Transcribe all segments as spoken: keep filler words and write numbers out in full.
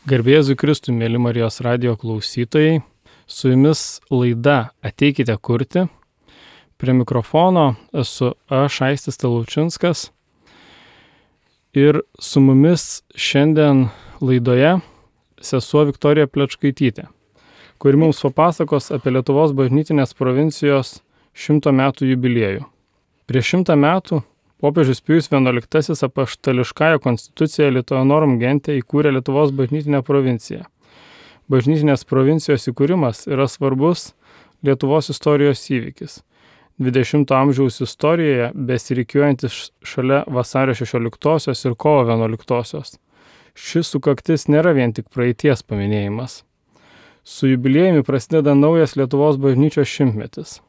Garbė Jėzui Kristui, mėly Marijos radijo klausytojai, su jumis laida Ateikite kurti. Prie mikrofono esu aš, Aistis Talučinskas. Ir su mumis šiandien laidoje sesuo Viktorija Plečkaitytė, kuri mums papasakos apie Lietuvos bažnytinės provincijos šimto metų jubiliejų. Prieš šimtą metų popiežius Pijus vienuoliktasis apaštališkąja konstitucija Lituanorum Gente įkūrė Lietuvos bažnytinę provinciją. Bažnytinės provincijos įkūrimas yra svarbus Lietuvos istorijos įvykis. dvidešimto amžiaus istorijoje besirikiuojantis šalia vasario šešioliktosios ir kovo vienuoliktosios. Šis sukaktis nėra vien tik praeities paminėjimas. Su jubiliejumi prasideda naujas Lietuvos bažnyčios šimtmetis.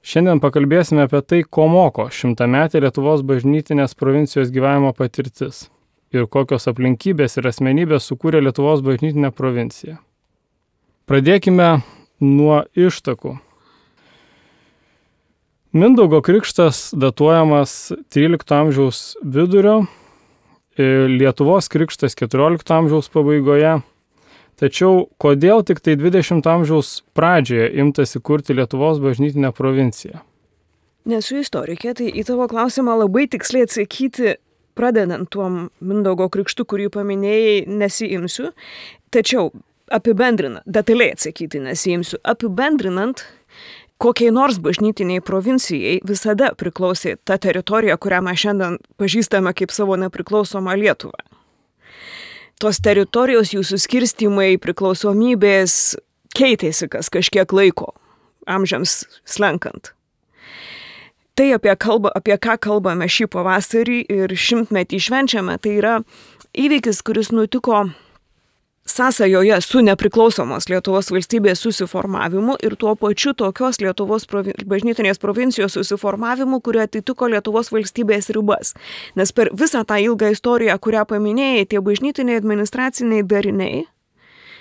Šiandien pakalbėsime apie tai, ko moko šimtametė Lietuvos bažnytinės provincijos gyvenimo patirtis ir kokios aplinkybės ir asmenybės sukūrė Lietuvos bažnytinę provinciją. Pradėkime nuo ištakų. Mindaugo krikštas datuojamas trylikto amžiaus vidurio, Lietuvos krikštas keturiolikto amžiaus pabaigoje. Tačiau kodėl tik tai dvidešimto amžiaus pradžioje imtasi kurti Lietuvos bažnytinę provinciją? Nesu istorikė, tai į tavo klausimą labai tiksliai atsakyti, pradedant tuom Mindaugo krikštu, kurį paminėjai, nesiimsiu. Tačiau apibendrinant, detaliai atsakyti nesiimsiu. Apibendrinant, kokiai nors bažnytiniai provincijai visada priklausė ta teritorija, kurią mes šiandien pažįstame kaip savo nepriklausomą Lietuvą. Tos teritorijos, jų suskirstymai, priklausomybės keitėsi kas kažkiek laiko, amžiams slenkant. Tai apie, kalba, apie ką kalbame šį pavasarį ir šimtmetį švenčiame, tai yra įvykis, kuris nutiko sąsajoje su nepriklausomos Lietuvos valstybės susiformavimu ir tuo pačiu tokios Lietuvos provi- bažnytinės provincijos susiformavimu, kurie atitiko Lietuvos valstybės ribas. Nes per visą tą ilgą istoriją, kurią paminėjai, tie bažnytiniai administraciniai dariniai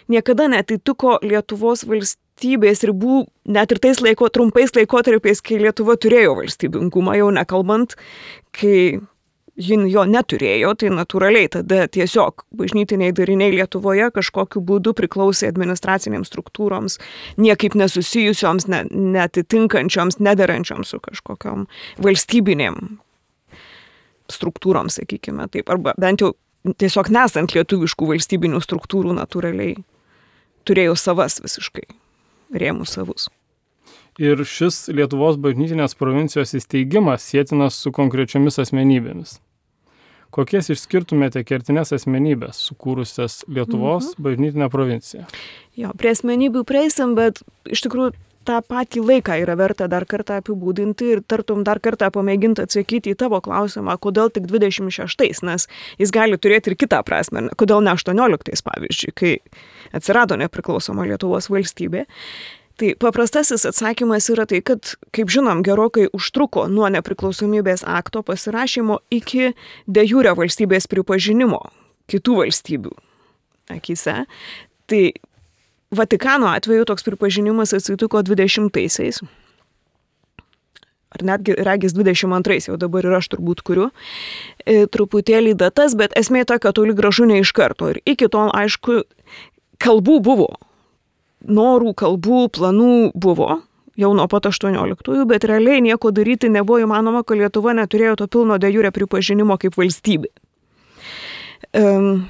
niekada netitiko Lietuvos valstybės ribų, net ir tais laiko, trumpais laikotarpiais, kai Lietuva turėjo valstybingumą, jau nekalbant, kai ji jo neturėjo, tai natūraliai tada tiesiog bažnytiniai dariniai Lietuvoje kažkokiu būdu priklausė administracinėms struktūroms, niekaip nesusijusioms, ne, netitinkančioms, nederančioms su kažkokiom valstybinėm struktūrom, sakykime taip, arba bent jau tiesiog nesant lietuviškų valstybinių struktūrų natūraliai turėjo savas visiškai, rėmų savus. Ir šis Lietuvos bažnytinės provincijos įsteigimas sietinas su konkrečiomis asmenybėmis. Kokias išskirtumėte kertinės asmenybės sukūrusias Lietuvos mhm. bažnytinę provinciją? Jo, prie asmenybių prieisim, bet iš tikrųjų tą patį laiką yra verta dar kartą apibūdinti ir tartum dar kartą pamėginti atsakyti į tavo klausimą, kodėl tik dvidešimt šeštais, nes jis gali turėti ir kitą prasme, kodėl ne aštuonioliktais pavyzdžiui, kai atsirado nepriklausoma Lietuvos valstybė. Tai paprastasis atsakymas yra tai, kad, kaip žinom, gerokai užtruko nuo nepriklausomybės akto pasirašymo iki de jure valstybės pripažinimo kitų valstybių akyse. Tai Vatikano atveju toks pripažinimas atsitiko dvidešimtaisiais, ar netgi regis dvidešimt antrais, jau dabar ir aš turbūt kuriu, e, truputėlį datas, bet esmė ta, kad toli gražu ne iš karto. Ir iki tol, aišku, kalbų buvo. Norų, kalbų, planų buvo jau nuo pat aštuonioliktųjų, bet realiai nieko daryti nebuvo įmanoma, kad Lietuva neturėjo to pilno de jure pripažinimo kaip valstybė. Um,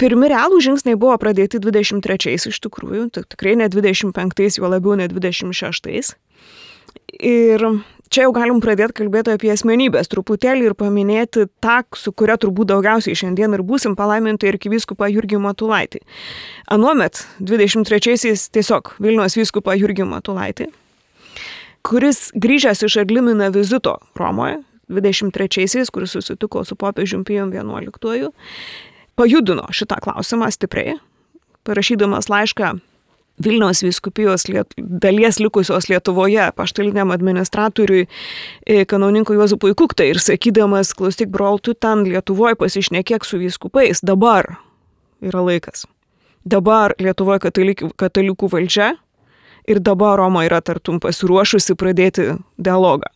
pirmi realų žingsniai buvo pradėti dvidešimt trečiais iš tikrųjų, tikrai ne dvidešimt penktais, juo labiau ne dvidešimt šeštais. Ir čia jau galim pradėti kalbėti apie asmenybės truputėlį ir paminėti tą, su kuria turbūt daugiausiai šiandien ir būsim palaiminti arkivyskupą Jurgį Matulaitį. Anuomet dvidešimt trečiaisiais tiesiog Vilniaus vyskupą Jurgį Matulaitį, kuris grįžęs iš Adlimina vizito Romoje dvidešimt trečiaisiais, kuris susitiko su popiežium Pijum vienuoliktuoju, pajudino šitą klausimą stipriai, parašydamas laišką Vilniaus vyskupijos liet, dalies likusios Lietuvoje apaštaliniam administratoriui kanauninkui Juozapui Kuktai ir sakydamas, klausyk brol, tu ten Lietuvoje pasišnekėk su vyskupais, dabar yra laikas. Dabar Lietuvoje katalikų, katalikų valdžia ir dabar Roma yra tartum pasiruošusi pradėti dialogą.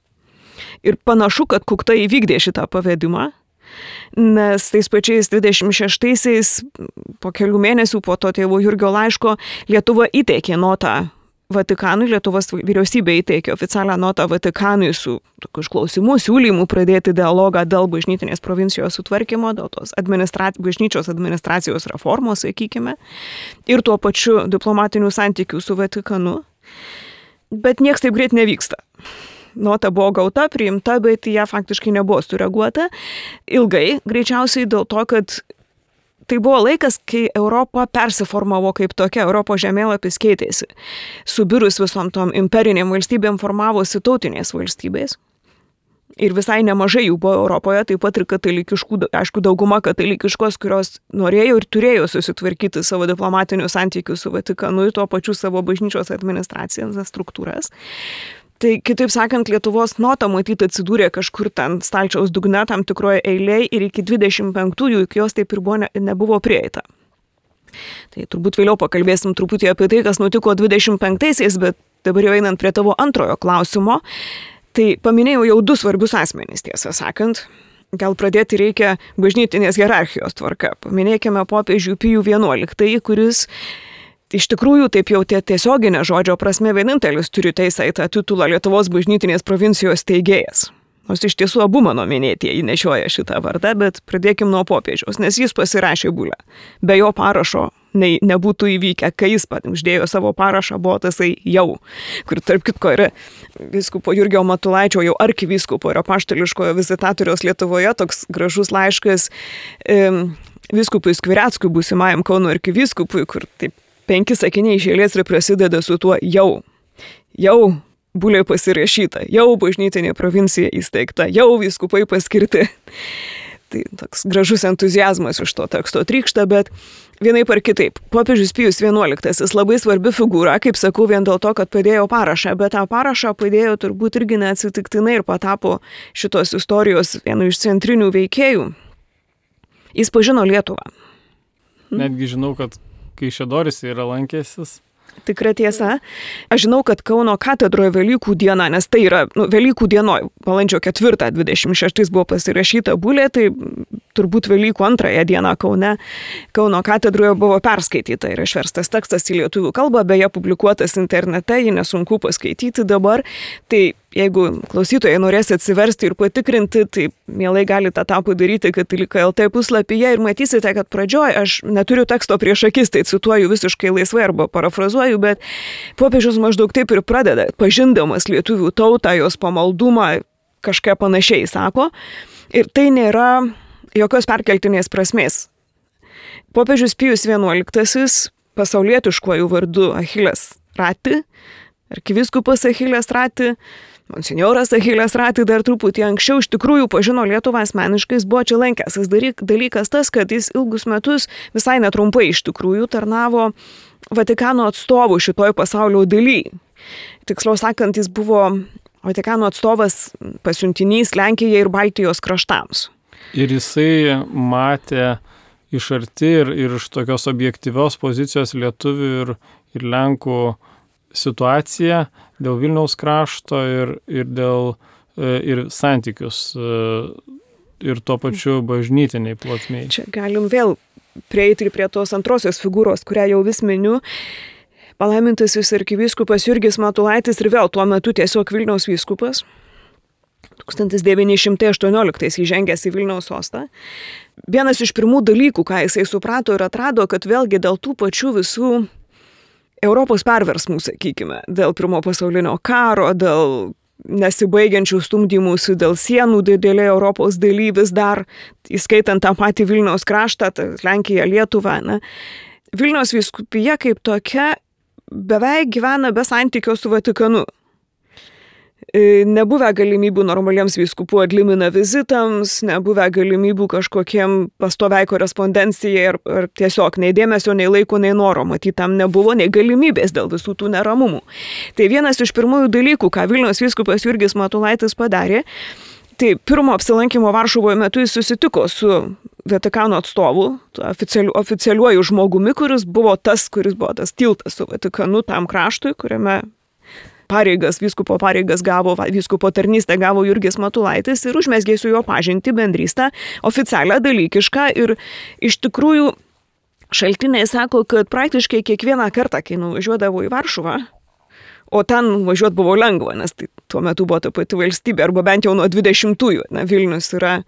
Ir panašu, kad Kukta įvykdė šitą pavedimą, nes tais pačiais dvidešimt šeštaisiais, po kelių mėnesių po to tėvo Jurgio laiško, Lietuva įteikė notą Vatikanui, Lietuvos vyriausybė įteikė oficialią notą Vatikanui su tokiu išklausimu, siūlymu pradėti dialogą dėl bažnytinės provincijos sutvarkymo, dėl tos administra... bažnyčios administracijos reformos, sakykime, ir tuo pačiu diplomatinių santykių su Vatikanu. Bet nieks taip greit nevyksta. Nota buvo gauta, priimta, bet ją faktiškai nebuvo sureaguota. Ilgai, greičiausiai dėl to, kad tai buvo laikas, kai Europa persiformavo kaip tokia, Europos žemėlapis keitėsi. Subirus visom tom imperiniam valstybėm formavosi tautinės valstybės. Ir visai nemažai jų buvo Europoje, taip pat ir katalikiškų, aišku, dauguma katalikiškos, kurios norėjo ir turėjo susitvarkyti savo diplomatinių santykių su Vatikanu ir tuo pačiu savo bažnyčios administracijos struktūras. Tai kitaip sakant, Lietuvos nota matyti atsidūrė kažkur ten stalčiaus dugne tam tikroje eilėje ir iki dvidešimt penktųjų iki jos taip ir buvo ne, nebuvo prieita. Tai turbūt vėliau pakalbėsim truputį apie tai, kas nutiko dvidešimt penktaisiais, bet dabar jau einant prie tavo antrojo klausimo, tai paminėjau jau du svarbius asmenys, tiesą sakant. Gal pradėti reikia bažnytinės hierarchijos tvarka. Paminėkime popiežių Pijų vienuoliktąjį, kuris iš tikrųjų, taip jau tie tiesioginė žodžio prasme vienintelis turi teisę į tą titulą Lietuvos bažnytinės provincijos steigėjas. Nors iš tiesų abu mano minėtieji nešioja šitą vardą, bet pradėkim nuo popiežiaus, nes jis pasirašė bulę. Be jo parašo nei, nebūtų įvykę, kai jis pat uždėjo savo parašą, buvo tasai jau, kur tarp kitko yra vyskupo Jurgio Matulaičio, jau arkivyskupo ir apaštališkojo vizitatoriaus Lietuvoje, toks gražus laiškas e, vyskupui Skvireckui, būsimajam Kauno arkivyskupui, kur taip penki sakiniai iš eilės ir prasideda su tuo jau. Jau bulė pasirašyta, jau bažnytinė provincija įsteigta, jau vyskupai paskirti. Tai toks gražus entuziazmas iš to teksto trykšta, bet vienaip ar kitaip. Popiežius Pijus vienuoliktasis labai svarbi figūra, kaip sakau, vien dėl to, kad padėjo parašą, bet tą parašą padėjo turbūt irgi neatsitiktinai ir patapo šitos istorijos vienu iš centrinių veikėjų. Jis pažino Lietuvą. Netgi žinau, kad Kaišiadoris yra lankęsis. Tikra tiesa. Aš žinau, kad Kauno katedroje Velykų diena, nes tai yra nu, Velykų dienoj, balandžio ketvirtą dvidešimt šeštais buvo pasirašyta bulė, tai turbūt Velykų antrąją dieną Kaune, Kauno katedroje buvo perskaityta ir išverstas tekstas į lietuvių kalbą, beje publikuotas internete, jį nesunku paskaityti dabar. Tai jeigu klausytojai norės atsiversti ir patikrinti, tai mielai galite tą padaryti Katalika L T puslapyje ir matysite, kad pradžioj aš neturiu teksto prieš akis, tai cituoju visiškai laisvai arba parafrazuoju, bet popiežius maždaug taip ir pradeda, pažindamas lietuvių tautą, jos pamaldumą, kažką panašiai sako. Ir tai nėra jokios perkeltinės prasmės. Popiežius Pijus vienuoliktasis pasaulietiškuoju vardu Achilles Rati, arkivyskupas Achilles Rati, monsinjoras Achilles Rati dar truputį anksčiau iš tikrųjų pažino Lietuvą asmeniškai, jis buvo čia lankęsis. Dalykas tas, kad jis ilgus metus visai netrumpai iš tikrųjų tarnavo Vatikano atstovų šitoj pasaulio daly. Tiksliau sakant, jis buvo Vatikano atstovas pasiuntinys Lenkijai ir Baltijos kraštams. Ir jisai matė iš arti ir, ir iš tokios objektyvios pozicijos lietuvių ir, ir Lenkų situaciją dėl Vilniaus krašto ir, ir dėl ir santykius ir tuo pačiu bažnytiniai plotmei. Čia galim vėl prieiti ir prie tos antrosios figūros, kurią jau vis miniu. Palaimintasis arkivyskupas Jurgis Matulaitis ir vėl tuo metu tiesiog Vilniaus vyskupas. tūkstantis devyni šimtai aštuonioliktais įžengęs į Vilniaus sostą. Vienas iš pirmų dalykų, ką jisai suprato ir atrado, kad vėlgi dėl tų pačių visų Europos perversmų, sakykime, dėl pirmo pasaulinio karo, dėl nesibaigiančių stumdymusių, dėl sienų didelė Europos daly vis dar, įskaitant tą patį Vilniaus kraštą, Lenkiją, Lietuvą. Ne? Vilniaus vyskupija kaip tokia beveik gyvena be santykio su Vatikanu. Nebuvę galimybių normaliems vyskupų adlimina vizitams, nebuvę galimybių kažkokiem pastoviai korespondencijai ar, ar tiesiog nei dėmesio, nei laiko, nei noro, matyt, tam nebuvo, nei galimybės dėl visų tų neramumų. Tai vienas iš pirmųjų dalykų, ką Vilniaus vyskupas Jurgis Matulaitis padarė, tai pirmo apsilankimo Varšuvoje metu jis susitiko su Vatikano atstovu, oficialiu, oficialiuoju žmogumi, kuris buvo tas, kuris buvo tas tiltas su Vatikanu tam kraštui, kuriame pareigas, vyskupo pareigas gavo, vyskupo tarnystę gavo Jurgis Matulaitis ir užmezgė su juo pažinti, bendrystę, oficialią, dalykišką ir iš tikrųjų šaltiniai sako, kad praktiškai kiekvieną kartą, kai nuvažiuodavo į Varšuvą, o ten važiuoti buvo lengva, nes tai tuo metu buvo ta pati valstybė, arba bent jau nuo dvidešimtųjų, na, Vilnius yra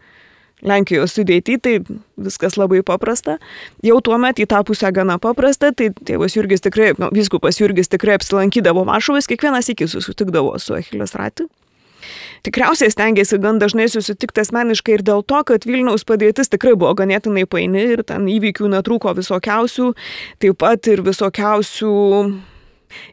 Lenkijos sudėti, tai viskas labai paprasta. Jau tuo metu į tą pusę gana paprasta, tai tėvas Jurgis tikrai, nu, vyskupas Jurgis tikrai apsilankydavo Varšuvos, kiekvienas iki susitikdavo su Achilės Rati. Tikriausiai stengiasi gan dažnai susitikti asmeniškai ir dėl to, kad Vilniaus padėtis tikrai buvo ganėtinai paini ir ten įvykių netrūko visokiausių, taip pat ir visokiausių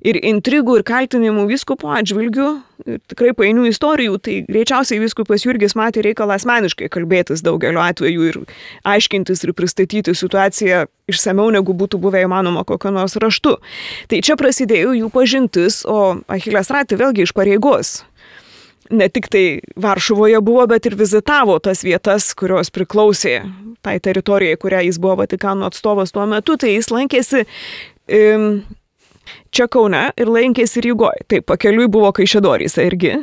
ir intrigų, ir kaltinimų vyskupo atžvilgių, ir tikrai painių istorijų, tai greičiausiai vyskupas Jurgis matė reikalą asmeniškai kalbėtis daugeliu atveju ir aiškintis ir pristatyti situaciją išsamiau, negu būtų buvę įmanoma kokio nors raštu. Tai čia prasidėjo jų pažintis, o Achilės Rati vėlgi iš pareigos. Ne tik tai Varšuvoje buvo, bet ir vizitavo tas vietas, kurios priklausė tai teritorijai, kurią jis buvo Vatikano atstovas tuo metu, tai jis lankėsi um, čia Kaune ir lankėsi Rygoje. Taip, pakeliui buvo Kaišiadoryse irgi.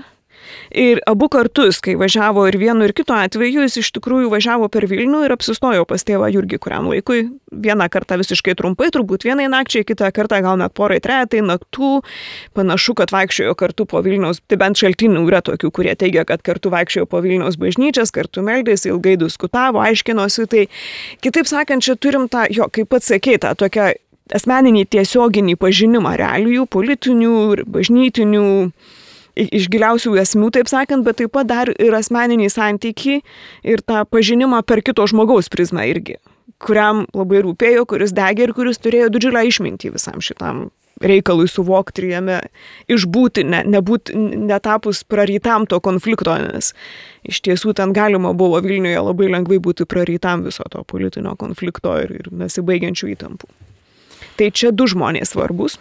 Ir abu kartus, kai važiavo ir vienu ir kitu atveju, jis iš tikrųjų važiavo per Vilnių ir apsistojo pas tėvą Jurgį kuriam laikui. Vieną kartą visiškai trumpai, turbūt vienai nakčiai, kitą kartą gal net porai trejetai naktų. Panašu, kad vaikščiojo kartu po Vilniaus, tai bent šaltinių yra tokių, kurie teigia, kad kartu vaikščiojo po Vilniaus bažnyčias, kartu meldėsi, ilgai diskutavo, aiškinosi. Tai kitaip sakant, čia turim tą, jo, kaip pats sakei, tą tokią asmeninį tiesioginį pažinimą realijų, politinių ir bažnytinių, iš giliausių esmių, taip sakant, bet taip pat dar ir asmeninį santykį ir tą pažinimą per kito žmogaus prizmę irgi, kuriam labai rūpėjo, kuris degė ir kuris turėjo didžiulę išmintį visam šitam reikalui suvokti ir jame išbūti, ne, nebūt, netapus prarytam to konflikto, nes iš tiesų ten galima buvo Vilniuje labai lengvai būti prarytam viso to politinio konflikto ir, ir nesibaigiančių įtampų. Tai čia du žmonės svarbus.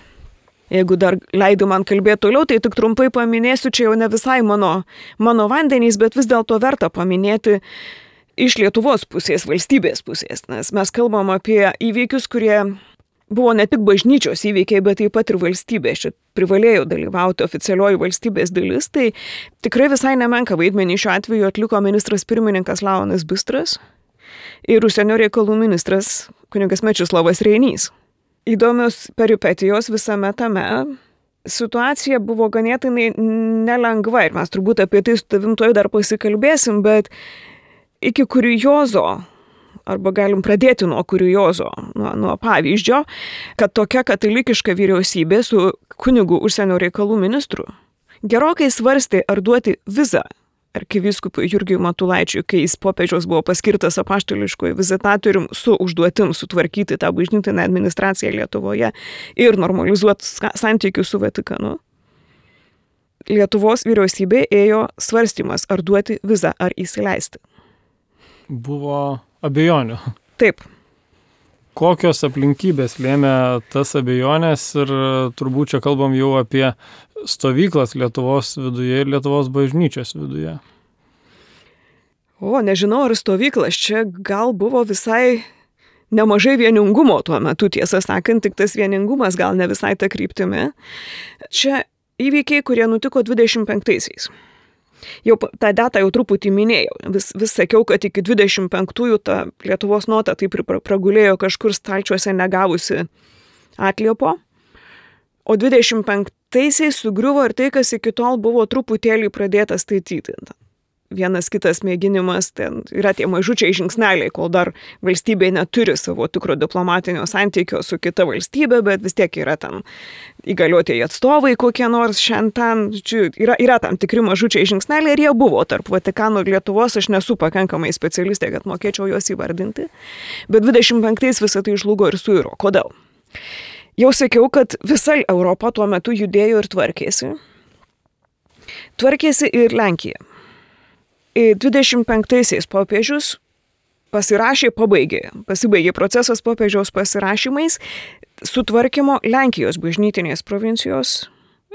Jeigu dar leido man kalbėti toliau, tai tik trumpai paminėsiu, čia jau ne visai mano, mano vandenys, bet vis dėlto verta paminėti iš Lietuvos pusės, valstybės pusės, nes mes kalbam apie įvykius, kurie buvo ne tik bažnyčios įvykiai, bet taip pat ir valstybės. Čia privalėjo dalyvauti oficialioji valstybės dalis, tai tikrai visai nemenka vaidmenį šiuo atveju atliko ministras pirmininkas Leonas Bistras ir užsienio reikalų ministras kunigas Mečislovas Reinys. Įdomios peripetijos visame tame. Situacija buvo ganėtinai nelengva ir mes turbūt apie tai su tavim tuoj dar pasikalbėsim, bet iki kuriozo, arba galim pradėti nuo kuriozo, nuo, nuo pavyzdžio, kad tokia katalikiška vyriausybė su kunigu užsienio reikalų ministru gerokai svarstė, ar duoti vizą arkivyskupui Jurgiui Matulaičiui, kai jis popiežiaus buvo paskirtas apaštališkuoju vizitatorium su užduotim sutvarkyti tą bažnytinę administraciją Lietuvoje ir normalizuoti santykius su Vatikanu. Lietuvos vyriausybė ėjo svarstymas, ar duoti vizą, ar įsileisti. Buvo abejonių. Taip. Kokios aplinkybės lėmė tas abejonės ir turbūt čia kalbam jau apie stovyklas Lietuvos viduje ir Lietuvos bažnyčios viduje? O, nežinau, ar stovyklas. Čia gal buvo visai nemažai vieningumo tuo metu, tiesą sakant, tik tas vieningumas gal ne visai ta kryptimi. Čia įvykiai, kurie nutiko dvidešimt penktaisiais. Jau tą datą jau truputį minėjau. Vis, vis sakiau, kad iki dvidešimt penktųjų ta Lietuvos nota taip ir pragulėjo kažkur stalčiuose negavusi atliepo. O dvidešimt penktaisiais sugriuvo ir tai, kas iki tol buvo truputėlį pradėta statyti. Vienas kitas mėginimas, ten yra tie mažučiai žingsneliai, kol dar valstybė neturi savo tikro diplomatinio santykio su kita valstybė, bet vis tiek yra ten įgaliotieji atstovai kokie nors šiandien. Yra, yra tam tikri mažučiai žingsneliai ir jie buvo tarp Vatikano ir Lietuvos. Aš nesu pakankamai specialistė, kad mokėčiau juos įvardinti. Bet dvidešimt penktais visą tai žlugo ir suiro. Kodėl? Jau sakiau, kad visa Europa tuo metu judėjo ir tvarkėsi. Tvarkėsi ir Lenkija. dvidešimt penktaisiais popiežius pasirašė, pabaigė, pasibaigė procesas popiežiaus pasirašymais sutvarkymo Lenkijos bažnytinės provincijos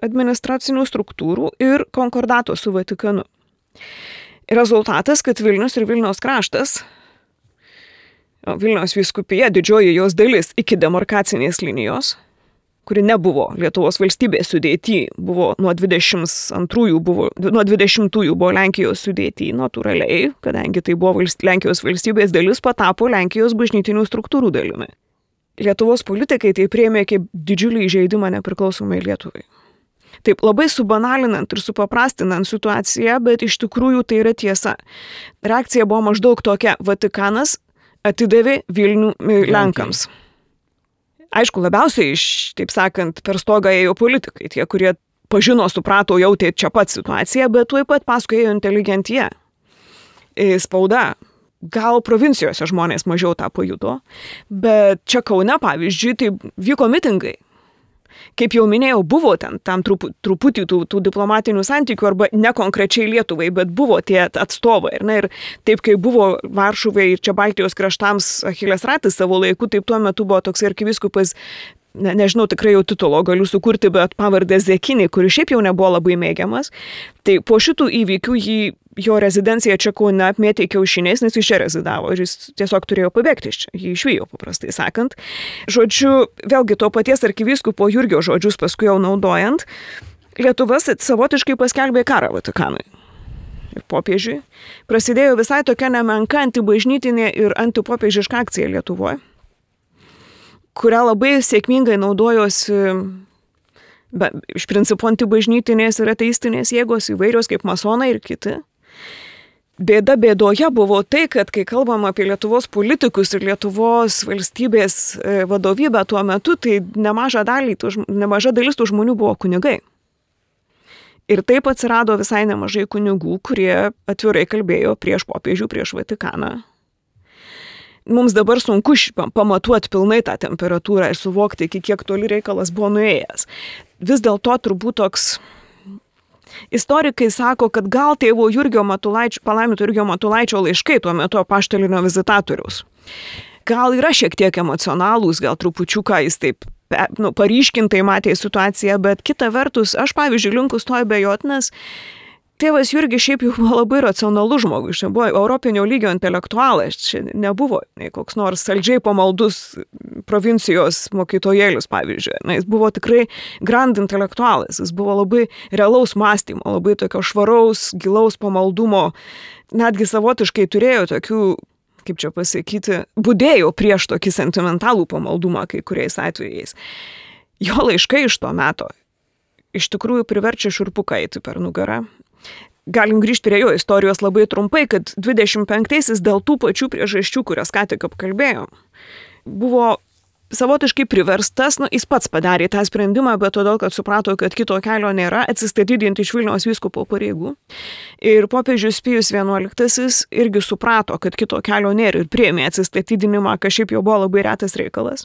administracinių struktūrų ir konkordato su Vatikanu. Rezultatas, kad Vilnius ir Vilniaus kraštas, Vilniaus vyskupija, didžioji jos dalis iki demarkacinės linijos, kuri nebuvo Lietuvos valstybės sudėty, buvo nuo dvidešimt antrųjų, buvo, nuo dvidešimtųjų buvo Lenkijos sudėty, natūraliai, kadangi tai buvo valst, Lenkijos valstybės dalis, patapo Lenkijos bažnytinių struktūrų dalimi. Lietuvos politikai tai priėmė kaip didžiulį įžeidimą nepriklausomai Lietuvai. Taip, labai subanalinant ir supaprastinant situaciją, bet iš tikrųjų tai yra tiesa. Reakcija buvo maždaug tokia: Vatikanas atidavė Vilnių Lenkams. Aišku, labiausiai iš, taip sakant, per stogą ėjo politikai, tie, kurie pažino, suprato, jautė čia pat situaciją, bet tuoj pat paskui ėjo inteligentija, spauda. Gal provincijose žmonės mažiau tą pajuto, bet čia Kaune, pavyzdžiui, tai vyko mitingai. Kaip jau minėjau, buvo ten tam trupu, truputį tų, tų diplomatinių santykių, arba ne konkrečiai Lietuvai, bet buvo tie atstovai. Ir, na, ir taip, kaip buvo Varšuvai ir čia Baltijos kraštams Achilės ratas savo laiku, taip tuo metu buvo toks arkivyskupas, ne, nežinau, tikrai jau titulo galiu sukurti, bet pavardę Zekinį, kuris šiaip jau nebuvo labai mėgiamas. Tai po šitų įvykių jį, jo rezidencija čia Kaune apmėtė kiaušiniais, nes jis čia rezidavo ir jis tiesiog turėjo pabėgti iš čia, jį išvijo, paprastai sakant. Žodžiu, vėlgi to paties arkivyskupo Jurgio žodžius paskui jau naudojant, Lietuva savotiškai paskelbė karą Vatikanui ir popiežiui. Prasidėjo visai tokia nemenka antibažnytinė ir antipopiežiška akcija Lietuvoje, kurią labai sėkmingai naudojosi be, iš principo antibažnytinės ir ateistinės jėgos įvairios kaip masonai ir kiti. Bėda bėdoje buvo tai, kad kai kalbam apie Lietuvos politikus ir Lietuvos valstybės vadovybę tuo metu, tai nemaža, dalį, nemaža dalis tų žmonių buvo kunigai. Ir taip atsirado visai nemažai kunigų, kurie atvirai kalbėjo prieš popiežių, prieš Vatikaną. Mums dabar sunku pamatuoti pilnai tą temperatūrą ir suvokti, iki kiek toli reikalas buvo nuėjęs. Vis dėlto turbūt toks... Istorikai sako, kad gal tėvo Jurgio Matulaičio, palaiminto Jurgio Matulaičio laiškai tuo metu apaštalinio vizitatoriaus. Gal yra šiek tiek emocionalūs, gal trupučiuką jis taip nu, paryškintai matė situaciją, bet kita vertus, aš pavyzdžiui linkus to abejoti, nes tėvas Jurgis šiaip jau buvo labai racionalus žmogus, čia buvo europinio lygio intelektualas, čia nebuvo nei koks nors saldžiai pamaldus provincijos mokytojėlis, pavyzdžiui. Na, jis buvo tikrai grand intelektualas, jis buvo labai realaus mąstymo, labai tokio švaraus, gilaus pamaldumo, netgi savotiškai turėjo tokių, kaip čia pasakyti, budėjo prieš tokį sentimentalų pamaldumą kai kuriais atvejais. Jo laiškai iš to meto iš tikrųjų priverčia šiurpuką eiti per nugarą. Galim grįžti prie jo istorijos labai trumpai, kad dvidešimt penktaisiais dėl tų pačių priežasčių, kurias ką tik apkalbėjom, buvo savotiškai priverstas, nu, jis pats padarė tą sprendimą, bet todėl, kad suprato, kad kito kelio nėra, atsistatydinti iš Vilniaus vyskupo pareigų. Ir popiežius Pijus vienuoliktasis irgi suprato, kad kito kelio nėra ir priėmė atsistatydinimą, kas šiaip jau buvo labai retas reikalas.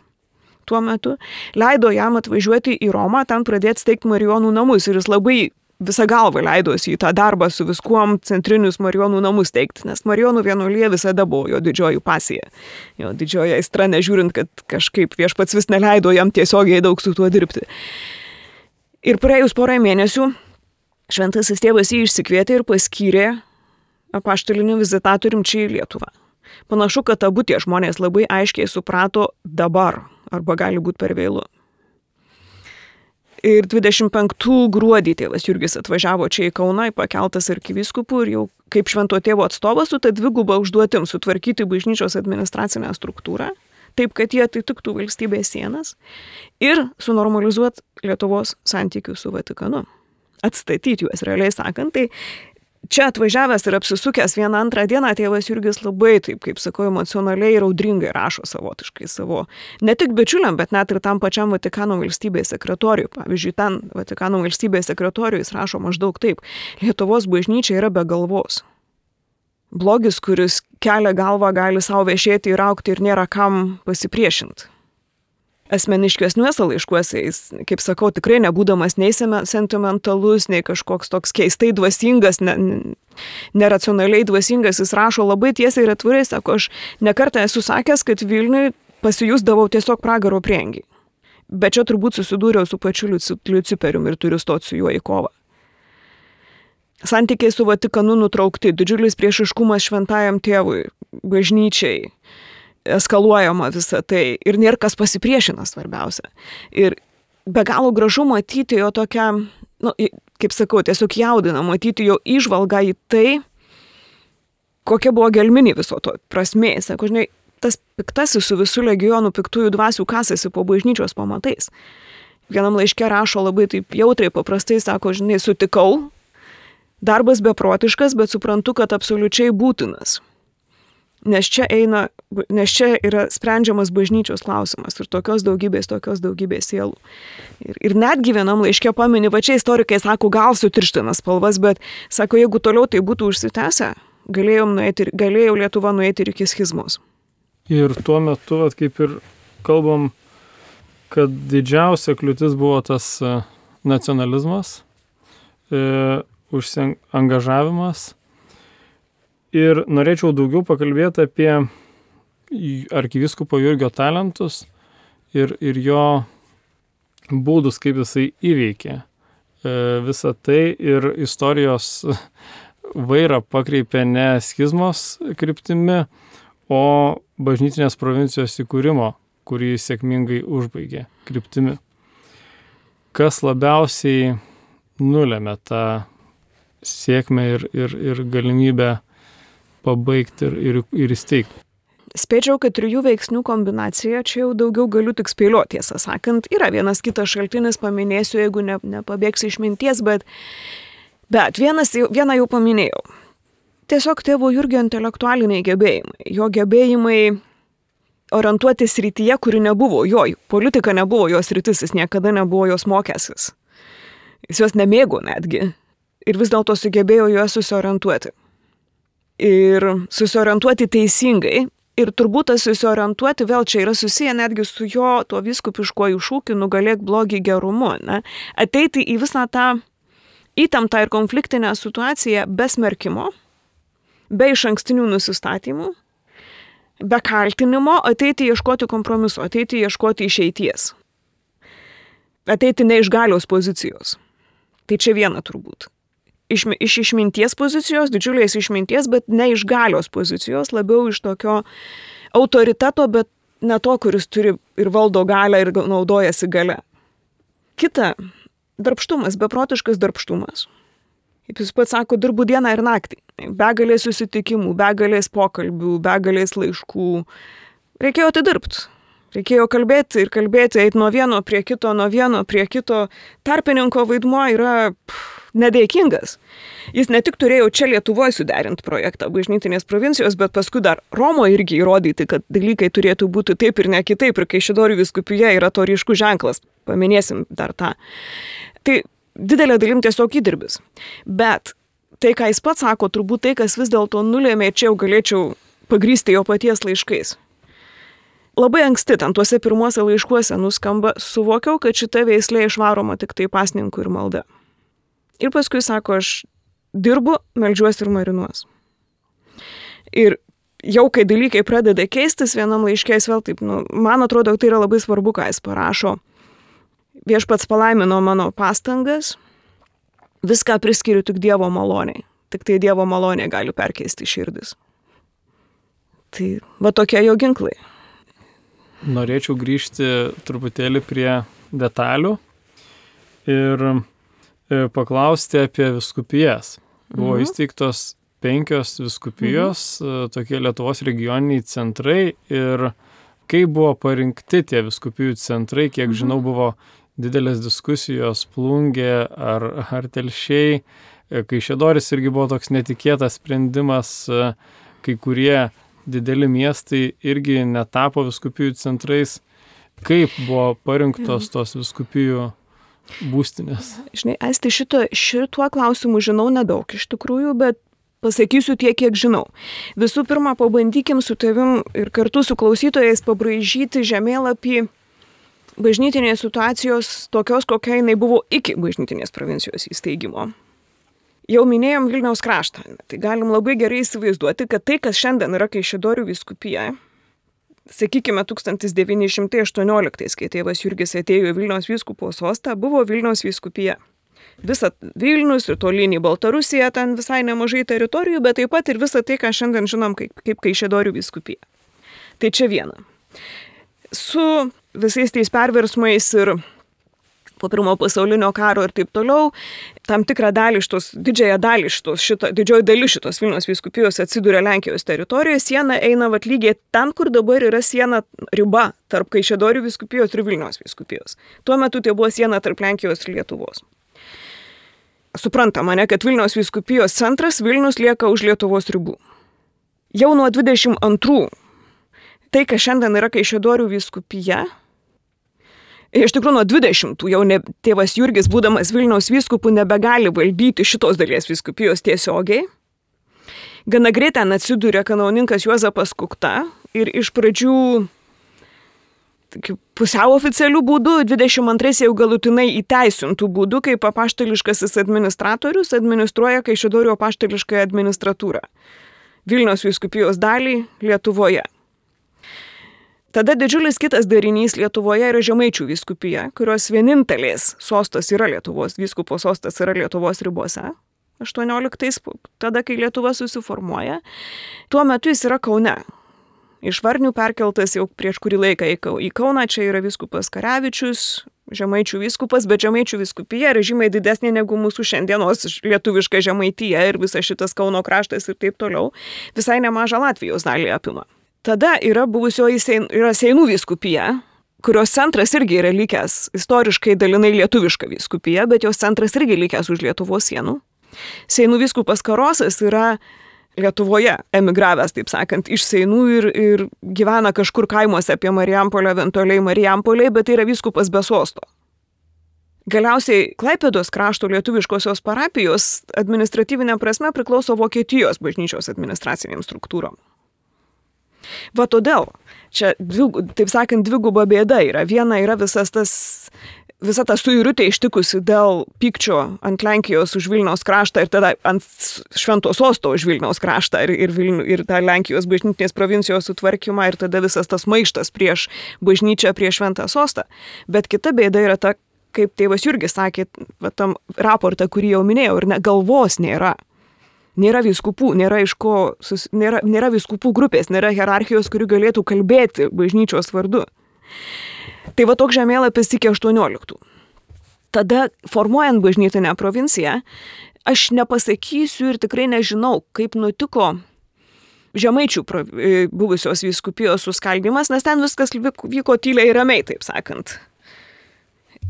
Tuo metu leido jam atvažiuoti į Romą, ten pradėti steigti Marijonų namus ir jis labai visą galvą leidosi į tą darbą su viskuom centrinius Marijonų namus teikti, nes Marijonų vienuolija visada buvo jo didžioji pasija. Jo didžioji aistra, nežiūrint, kad kažkaip viešpats vis neleido jam tiesiogiai daug su tuo dirbti. Ir praėjus porą mėnesių šventasis tėvas jį išsikvietė ir paskyrė apaštaliniu vizitatorium čia į Lietuvą. Panašu, kad abu tie žmonės labai aiškiai suprato dabar, arba gali būti per vėlu. Ir dvidešimt penktų gruodį tėvas Jurgis atvažiavo čia į Kauną, pakeltas arkivyskupų ir jau kaip švento tėvo atstovas su ta dviguba užduotim sutvarkyti bažnyčios administracinę struktūrą, taip, kad jie atitiktų valstybės sienas ir sunormalizuoti Lietuvos santykius su Vatikanu. Atstatyti juos, realiai sakant. Tai čia atvažiavęs ir apsisukęs vieną antrą dieną tėvas Jurgis labai, taip kaip sakau, emocionaliai ir audringai rašo savotiškai savo, ne tik bičiuliam, bet net ir tam pačiam Vatikano valstybės sekretoriui. Pavyzdžiui, ten Vatikano valstybės sekretoriui jis rašo maždaug taip: Lietuvos bažnyčia yra be galvos. Blogis, kuris kelia galvą, gali savo viešėti ir aukti ir nėra kam pasipriešinti. Asmeniškesniuose laiškuose jis, kaip sakau, tikrai nebūdamas nei sentimentalus, nei kažkoks toks keistai dvasingas, ne, neracionaliai dvasingas, jis rašo labai tiesiai ir atvirai, sako, aš nekartą esu sakęs, kad Vilniui pasijusdavau tiesiog pragaro prieangiai. Bet čia turbūt susidūriau su pačiu Liuciperium ir turiu stoti su juo į kovą. Santykiai su Vatikanu nutraukti, didžiulis priešiškumas šventajam tėvui, bažnyčiai, eskaluojama visą tai ir nėra kas pasipriešina, svarbiausia. Ir be galo gražu matyti jo tokią, nu, kaip sakau, tiesiog jaudina matyti jo įžvalgą į tai, kokia buvo gelminė viso to prasmė. Sako, žinai, tas piktasis su visų legionų piktųjų dvasių kasasi po bažnyčios pamatais. Vienam laiške rašo labai taip jautriai, paprastai, sako, žinai, sutikau, darbas beprotiškas, bet suprantu, kad absoliučiai būtinas. Nes čia eina, nes čia yra sprendžiamas bažnyčios klausimas ir tokios daugybės, tokios daugybės sielų. Ir, ir netgi vienam laiške pamini, va čia istorikai sako, gal sutirština spalvas, bet sako, jeigu toliau tai būtų užsitęsę, galėjom nueiti, galėjau Lietuva nueiti ir iki schizmos. Ir tuo metu, vat, kaip ir kalbam, kad didžiausia kliūtis buvo tas nacionalizmas, e, užsiangažavimas. Ir norėčiau daugiau pakalbėti apie arkivyskupo Jurgio talentus ir, ir jo būdus, kaip jisai įveikė visą tai ir istorijos vairą pakreipė ne schizmos kryptimi, o bažnytinės provincijos įkūrimo, kurį sėkmingai užbaigė kryptimi. Kas labiausiai nulėmė tą sėkmę ir, ir, ir galimybę pabaigti ir, ir, ir įsteigti. Spėčiau, kad trijų veiksnių kombinacija, čia jau daugiau galiu tik spėlioti, tiesą sakant. Yra vienas kitas šaltinis, paminėsiu, jeigu ne, nepabėgsiu iš minties, bet, bet vienas, vieną jau paminėjau. Tiesiog tėvo Jurgio intelektualiniai gebėjimai. Jo gebėjimai orientuoti srityje, kuri nebuvo jo. Politika nebuvo jos sritis, jis niekada nebuvo jos mokęsis. Jis jos nemėgo netgi. Ir vis dėlto sugebėjo juos susiorientuoti. Ir susiorientuoti teisingai. Ir turbūt tas susiorientuoti vėl čia yra susiję netgi su jo tuo vyskupiškuoju šūkiu nugalėk blogį gerumu. Ne? Ateiti į visą tą įtemptą ir konfliktinę situaciją be smerkimo, be išankstinių nusistatymų, be kaltinimo, ateiti ieškoti kompromiso, ateiti ieškoti išeities. Ateiti ne iš galios pozicijos. Tai čia viena turbūt. Iš, iš išminties pozicijos, didžiulės išminties, bet ne iš galios pozicijos, labiau iš tokio autoriteto, bet ne to, kuris turi ir valdo galią ir naudojasi gale. Kita, darbštumas, beprotiškas darbštumas. Kaip jis pats sako, dirbu dieną ir naktį. Begalės susitikimų, begalės pokalbių, begalės laiškų. Reikėjo atidirbti. Reikėjo kalbėti ir kalbėti, eiti nuo vieno prie kito, nuo vieno prie kito. Tarpininko vaidmuo yra pff, nedėkingas. Jis ne tik turėjo čia Lietuvoje suderinti projektą bažnytinės provincijos, bet paskui dar Romoje irgi įrodyti, kad dalykai turėtų būti taip ir ne kitaip. Ir Kaišiadorių vyskupija yra to ryškus ženklas. Paminėsim dar tą. Tai didelė dalim tiesiog įdirbis. Bet tai, ką jis pats sako, turbūt tai, kas vis dėlto nulėmė, čia jau galėčiau pagrysti jo paties laiškais. Labai anksti ten tuose pirmuose laiškuose nuskamba, suvokiau, kad šita veislė išvaroma tik tai pasninkų ir malda. Ir paskui sako, aš dirbu, meldžiuosi ir marinuos. Ir jau kai dalykai pradeda keistis, vienam laiškės vėl taip, nu, man atrodo, tai yra labai svarbu, ką jis parašo. Viešpats palaimino mano pastangas, viską priskiriu tik Dievo maloniai. Tik tai Dievo malonė gali perkeisti širdis. Tai va tokie jo ginklai. Norėčiau grįžti truputėlį prie detalių ir paklausti apie viskupijas. Buvo mhm. įsteigtos penkios viskupijos, mhm. tokie Lietuvos regioniniai centrai ir kaip buvo parinkti tie viskupijų centrai, kiek mhm. žinau, buvo didelės diskusijos Plungė ar, ar Telšiai. Kaišiadoris irgi buvo toks netikėtas sprendimas, kai kurie dideli miestai irgi netapo viskupijų centrais. Kaip buvo parinktos tos viskupijų būstinės? Žinai, Aisti, šito, šituo klausimu žinau nedaug iš tikrųjų, bet pasakysiu tiek, kiek žinau. Visų pirma, pabandykim su tavim ir kartu su klausytojais pabraižyti žemėlapį bažnytinės situacijos tokios, kokia jinai buvo iki bažnytinės provincijos įsteigimo. Jau minėjom Vilniaus kraštą, tai galim labai gerai įsivaizduoti, kad tai, kas šiandien yra Kaišiadorių vyskupija, sakykime, tūkstantis devyni šimtai aštuonioliktais, kai tėvas Jurgis atėjo į Vilniaus vyskupo sostą, buvo Vilniaus vyskupija. Visa Vilnius ir tolyn į Baltarusiją, ten visai nemažai teritorijų, bet taip pat ir visa tai, ką šiandien žinom kaip, kaip Kaišiadorių vyskupija. Tai čia viena. Su visais tais perversmais ir po pirmo pasaulinio karo ir taip toliau, tam tikrą dalį šitos, didžiąją dalį šitos, šito, didžioji dalis šitos Vilniaus vyskupijos atsiduria Lenkijos teritorijoje, siena eina vat lygiai ten, kur dabar yra siena riba tarp Kaišiadorių vyskupijos ir Vilniaus vyskupijos. Tuo metu tai buvo siena tarp Lenkijos ir Lietuvos. Suprantama, ne, kad Vilniaus vyskupijos centras Vilnius lieka už Lietuvos ribų. Jau nuo dvidešimt antrų tai, kas šiandien yra Kaišiadorių vyskupija, iš tikrųjų nuo dvidešimtų jau ne, tėvas Jurgis, būdamas Vilniaus vyskupų, nebegali valdyti šitos dalies vyskupijos tiesiogiai. Gana greitai ten atsiduria kanauninkas Juozapas Kukta ir iš pradžių pusiau oficialių būdų, dvidešimt antrais jau galutinai įteisintų būdų, kaip apaštališkasis administratorius administruoja Kaišiadorių apaštališkąją administratūrą. Vilniaus vyskupijos dalį Lietuvoje. Tada didžiulis kitas darinys Lietuvoje yra Žemaičių vyskupija, kurios vienintelės sostas yra Lietuvos, vyskupo sostas yra Lietuvos ribose. aštuonioliktais, tada, kai Lietuva susiformuoja. Tuo metu jis yra Kaune. Iš Varnių perkeltas jau prieš kurį laiką į Kauną, čia yra vyskupas Karevičius, Žemaičių vyskupas, bet Žemaičių vyskupija yra žymiai didesnė negu mūsų šiandienos lietuviška Žemaitija ir visas šitas Kauno kraštas ir taip toliau. Visai nemažą Latvijos dalį apima. Tada yra buvusioji sein, yra Seinų vyskupija, kurios centras irgi yra likęs istoriškai dalinai lietuviška vyskupija, bet jos centras irgi likęs už Lietuvos sienų. Seinų vyskupas Karosas yra Lietuvoje emigravęs, taip sakant, iš Seinų ir, ir gyvena kažkur kaimuose apie Marijampolę, eventualiai Marijampolėje, bet tai yra vyskupas be sosto. Galiausiai Klaipėdos krašto lietuviškosios parapijos administratyvinė prasme priklauso Vokietijos bažnyčios administraciniam struktūrom. Va todėl, čia, dvig, taip sakant, dviguba bėda yra. Viena yra visas tas, visa ta suirutė ištikusi dėl pykčio ant Lenkijos už Vilniaus kraštą ir tada ant Švento sosto už Vilniaus kraštą ir, ir, Vilnių, ir tą Lenkijos bažnytinės provincijos sutvarkymą ir tada visas tas maištas prieš bažnyčią, prieš Šventą sostą. Bet kita bėda yra ta, kaip tėvas Jurgis sakė, va, tam raportą, kurį jau minėjau, ir ne, galvos nėra. Nėra vyskupų, nėra, iš ko, sus, nėra, nėra vyskupų grupės, nėra hierarchijos, kuri galėtų kalbėti bažnyčios vardu. Tai va toks žemėlapis iki aštuonioliktų. Tada, formuojant bažnytinę provinciją, aš nepasakysiu ir tikrai nežinau, kaip nutiko Žemaičių buvusios vyskupijos suskaldymas, nes ten viskas vyko tyliai ir ramiai, taip sakant.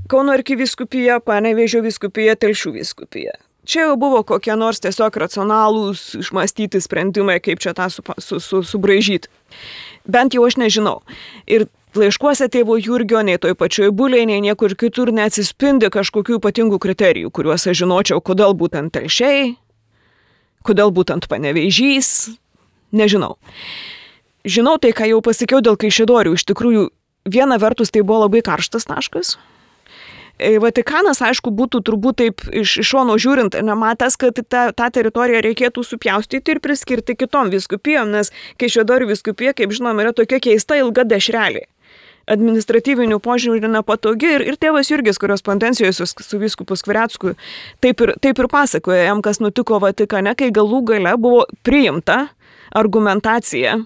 Kauno arkivyskupija, Panevėžio vyskupija, Telšių vyskupija. Čia jau buvo kokie nors tiesiog racionalūs, išmąstyti sprendimai, kaip čia tą su, su, su, subraižyti. Bent jau aš nežinau. Ir laiškuose tėvo Jurgio, nei toj pačioj Bulėj, nei niekur kitur neatsispindi kažkokių ypatingų kriterijų, kuriuos aš žinočiau, kodėl būtent Telšiai, kodėl būtent Panevėžys, nežinau. Žinau tai, ką jau pasakiau dėl Kaišiadorių. Iš tikrųjų, viena vertus tai buvo labai karštas taškas. Vatikanas, aišku, būtų turbūt taip iš, iš šono žiūrint, nematęs, kad tą, tą teritoriją reikėtų supjaustyti ir priskirti kitom vyskupijom, nes Kaišiadorių vyskupija, kaip žinom, yra tokia keista ilga dešrelė. Administratyvinių požiūrį nepatogi ir, ir tėvas Jurgis korespondencijoje su, su vyskupu Skvirecku taip ir, taip ir pasakoja jam, kas nutiko Vatikane, kai galų gale buvo priimta argumentacija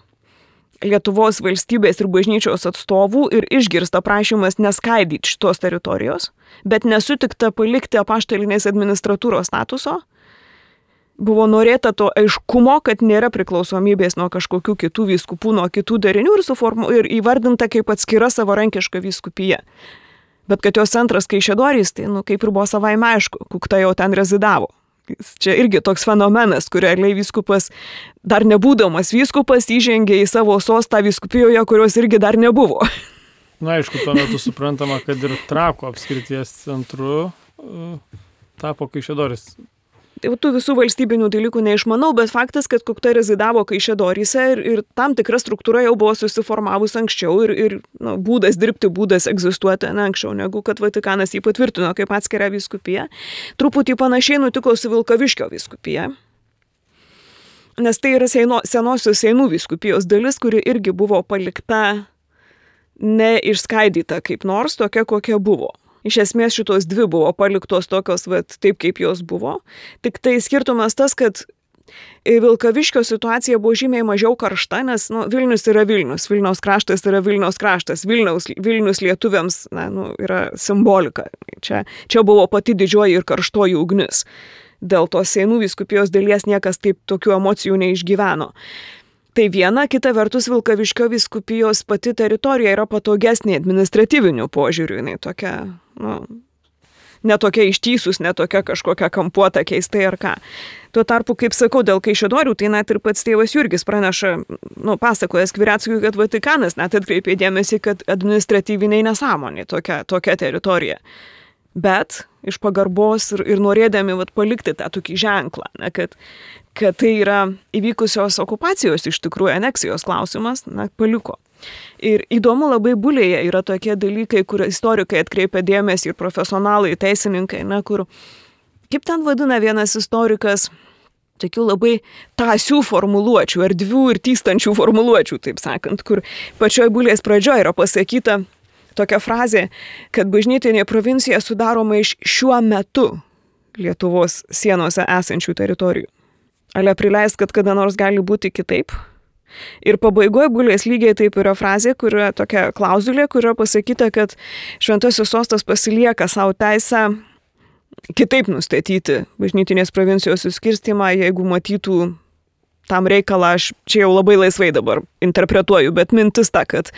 Lietuvos valstybės ir bažnyčios atstovų ir išgirsta prašymas neskaidyti šitos teritorijos, bet nesutikta palikti apaštalinės administratūros statuso. Buvo norėta to aiškumo, kad nėra priklausomybės nuo kažkokių kitų vyskupų, nuo kitų darinių ir, suformu, ir įvardinta kaip atskira savarankiška vyskupija. Bet kad jos centras Kaišiadorys, tai nu, kaip ir buvo savaime aišku, Kukta jau ten rezidavo. Čia irgi toks fenomenas, kur realiai vyskupas, dar nebūdamas vyskupas, įžengė į savo sostą vyskupijoje, kurios irgi dar nebuvo. Na, aišku, tuo metu suprantama, kad ir Trakų apskrities centru uh, tapo Kaišiadorys. Tų visų valstybinių dalykų neišmanau, bet faktas, kad Kukta rezidavo Kaišiadoryse ir, ir tam tikra struktūra jau buvo susiformavus anksčiau ir, ir nu, būdas dirbti, būdas egzistuoti ne anksčiau, negu kad Vatikanas jį patvirtino kaip atskirą vyskupiją. Truputį panašiai nutiko su Vilkaviškio vyskupija, nes tai yra seino, senosios Seinų vyskupijos dalis, kuri irgi buvo palikta neišskaidyta kaip nors, tokia kokia buvo. Iš esmės šitos dvi buvo paliktos tokios, vat, taip kaip jos buvo. Tik tai skirtumas tas, kad Vilkaviškio situacija buvo žymiai mažiau karšta, nes nu, Vilnius yra Vilnius, Vilniaus kraštas yra Vilniaus kraštas, Vilniaus, Vilnius lietuviams na, nu, yra simbolika. Čia, čia buvo pati didžioji ir karštoji ugnis. Dėl tos Seinų vyskupijos dalies niekas taip tokių emocijų neišgyveno. Tai viena, kita vertus Vilkaviškio vyskupijos pati teritorija yra patogesnė administratyvinių požiūrių, jinai tokia, nu, netokia ištysus, netokia kažkokia kampuota keistai ar ką. Tuo tarpu, kaip sakau, dėl Kaišiadorių, tai net ir pats tėvas Jurgis praneša, nu, pasakoja Skvireckui, kad Vatikanas net atkreipė dėmesį, kad administratyviniai nesąmonė tokia, tokia teritorija. Bet iš pagarbos ir, ir norėdami vat, palikti tą tokį ženklą, ne, kad, kad tai yra įvykusios okupacijos iš tikrųjų aneksijos klausimas, na, paliko. Ir įdomu labai Bulėje yra tokie dalykai, kur istorikai atkreipia dėmesį ir profesionalai, teisininkai, ne, kur, kaip ten vadina vienas istorikas, tokių labai tąsių formuluočių, erdvių ir tystančių formuluočių, taip sakant, kur pačioj Bulės pradžioje yra pasakyta tokia frazė, kad bažnytinė provincija sudaroma iš šiuo metu Lietuvos sienose esančių teritorijų. Ale prileis, kad kada nors gali būti kitaip? Ir pabaigoje Bulės lygiai taip yra frazė, kur yra tokia klauzulė, kur yra pasakyta, kad Šventasis sostas pasilieka savo teisę kitaip nustatyti bažnytinės provincijos suskirstymą, jeigu matytų tam reikalą, aš čia jau labai laisvai dabar interpretuoju, bet mintis ta, kad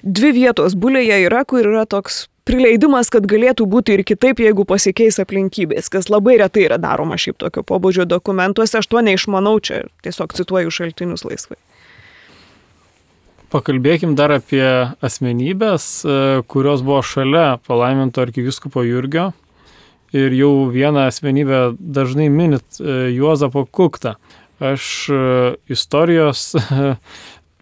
dvi vietos Bulėje yra, kur yra toks prileidimas, kad galėtų būti ir kitaip, jeigu pasikeis aplinkybės, kas labai retai yra daroma šiaip tokio pobūdžio dokumentuose, aš to neišmanau, čia tiesiog cituoju šaltinius laisvai. Pakalbėkim dar apie asmenybės, kurios buvo šalia palaiminto arkivyskupo Jurgio. Ir jau vieną asmenybę dažnai minit, Juozapą Kuktą. Aš istorijos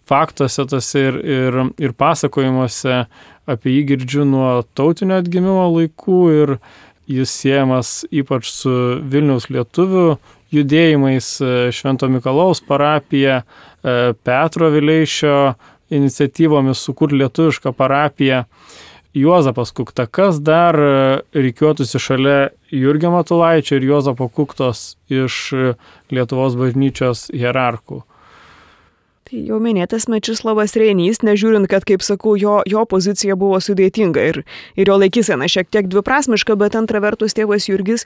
faktuose tose ir, ir, ir pasakojimuose apie jį girdžiu nuo tautinio atgimimo laikų ir jis siejamas ypač su Vilniaus lietuvių judėjimais, Švento Mikalojaus parapija, Petro Vileišio iniciatyvomis sukurti lietuvišką parapiją. Juozapas Kukta, kas dar rikiuotųsi šalia Jurgio Matulaičio ir Juozapo Kuktos iš Lietuvos bažnyčios hierarchų? Tai jau minėtas Mečislovas Reinys, nežiūrint, kad, kaip sakau, jo, jo pozicija buvo sudėtinga ir, ir jo laikysena šiek tiek dviprasmiška, bet antra vertus tėvas Jurgis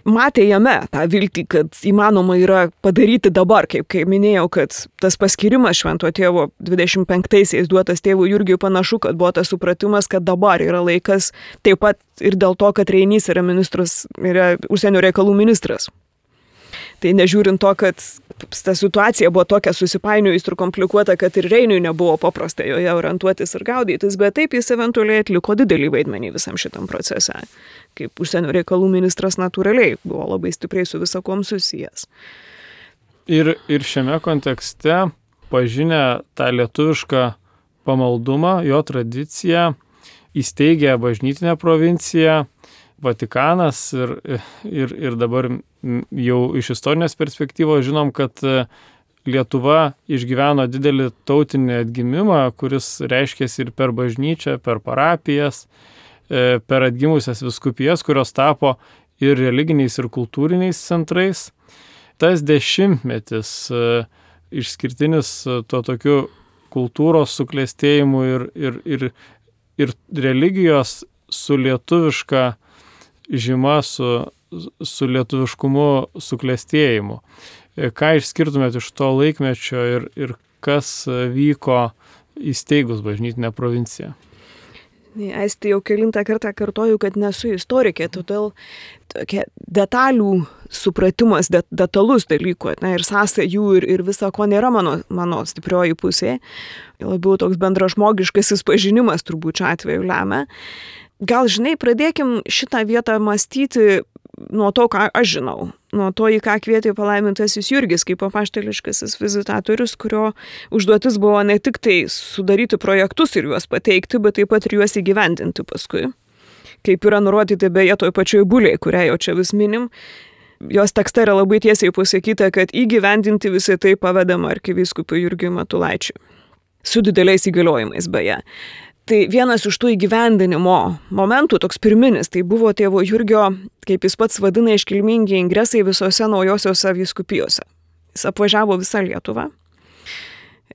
matė jame tą viltį, kad įmanoma yra padaryti dabar, kaip, kaip minėjau, kad tas paskirimas švento tėvo dvidešimt penktaisiais duotas tėvų Jurgiui panašu, kad buvo tas supratimas, kad dabar yra laikas, taip pat ir dėl to, kad Reinys yra ministras, yra užsienio reikalų ministras. Tai nežiūrint to, kad ta situacija buvo tokia susipainiojus ir komplikuota, kad ir Reiniui nebuvo paprasta joje orientuotis ir gaudytis, bet taip jis eventualiai atliko didelį vaidmenį visam šitam procese. Kaip užsienio reikalų ministras natūraliai buvo labai stipriai su visakom susijęs. Ir, ir šiame kontekste pažinę tą lietuvišką pamaldumą, jo tradiciją, įsteigė bažnytinę provinciją, Vatikanas ir, ir, ir dabar jau iš istorinės perspektyvos žinom, kad Lietuva išgyveno didelį tautinį atgimimą, kuris reiškėsi ir per bažnyčią, per parapijas, per atgimusias vyskupijas, kurios tapo ir religiniais, ir kultūriniais centrais. Tas dešimtmetis išskirtinis tuo tokiu kultūros suklestėjimu ir, ir, ir, ir religijos su lietuviška žyma, su, su lietuviškumu suklestėjimu. Ką išskirtumėt iš to laikmečio ir, ir kas vyko įsteigus bažnytinę provinciją? Aisti, jau kelintą kartą kartoju, kad nesu istorikė, todėl tokia detalių supratimas, det, detalus dalykų, ne, ir sąsajų ir, ir visa ko nėra mano, mano stiprioji pusė. Labiau toks bendražmogiškasis pažinimas turbūt čia atveju lemia. Gal, žinai, pradėkim šitą vietą mąstyti nuo to, ką aš žinau. Nuo to, į ką kvietė palaimintasis Jurgis kaip apaštališkasis vizitatorius, kurio užduotis buvo ne tik tai sudaryti projektus ir juos pateikti, bet taip pat ir juos įgyvendinti paskui. Kaip yra nurodyti beje toj pačioj Bulėj, kurią jau čia vis minim, jos tekste yra labai tiesiai pasakyta, kad įgyvendinti visai tai pavedama arkivyskupui Jurgiui Matulaičiui. Su dideliais įgaliojimais beje. Tai vienas iš tų įgyvendinimo momentų, toks pirminis, tai buvo tėvo Jurgio, kaip jis pats vadina, iškilmingi ingresai visose naujosiose vyskupijose. Jis apvažiavo visą Lietuvą,